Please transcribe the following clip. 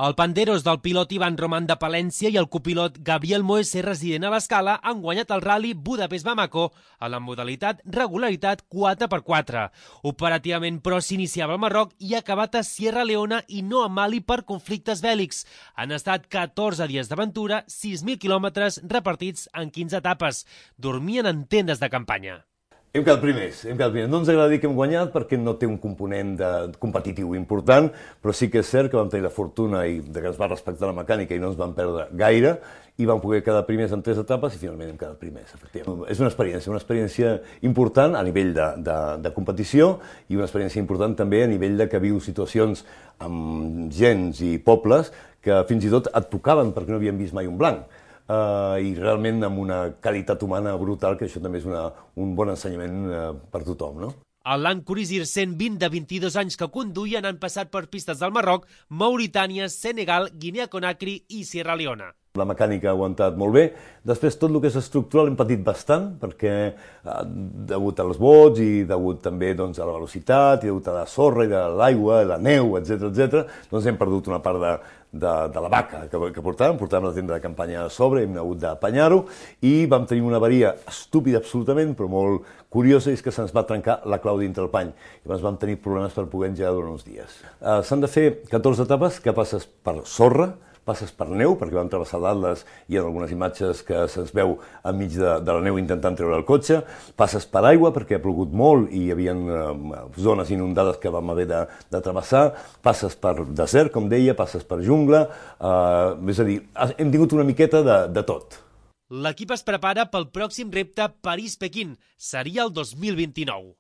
El Panderos del pilot Ivan Roman de Palència i el copilot Gabriel Moese, resident a l'Escala, han guanyat el Rally Budapest-Bamako a la modalitat regularitat 4x4. Operativament, però, s'iniciava al Marroc i ha acabat a Sierra Leona i no a Mali per conflictes bèl·lics. Han estat 14 dies d'aventura, 6.000 quilòmetres repartits en 15 etapes. Dormien en tendes de campanya. Hem quedat primers. No ens agrada dir que hem guanyat perquè no té un component competitiu important, però sí que és cert que vam tenir la fortuna que ens va respectar la mecànica i no ens vam perdre gaire i vam poder quedar primers en 3 etapes i finalment hem quedat primers, efectivament. És una experiència important a nivell de competició i una experiència important també a nivell de que viu situacions amb gens i pobles que fins i tot et tocaven perquè no havien vist mai un blanc. I realment amb una qualitat humana brutal, que això també és un bon ensenyament per tothom, no? El Land Cruiser 120 de 22 anys que conduïen han passat per pistes del Marroc, Mauritània, Senegal, Guinea-Conakry i Sierra Leona. La mecànica ha aguantat molt bé. Després, tot el que és estructural hem patit bastant, perquè degut als bots i degut també a la velocitat, i degut a la sorra i de l'aigua, la neu, etc., doncs hem perdut una part de la vaca que portàvem la tenda de campanya a sobre, hem hagut d'apanyar-ho, i vam tenir una avaria estúpida absolutament, però molt curiosa, és que se'ns va trencar la clau dintre el pany. Llavors vam tenir problemes per poder engegar durant uns dies. S'han de fer 14 etapes que passes per sorra, passes per neu, perquè vam travessar l'Atles i hi ha algunes imatges que se'ns veu enmig de la neu intentant treure el cotxe, passes per aigua perquè ha plogut molt i hi havia zones inundades que vam haver de travessar, passes per desert, com deia, passes per jungla, és a dir, hem tingut una miqueta de tot. L'equip es prepara pel pròxim repte París-Pequín, seria el 2029.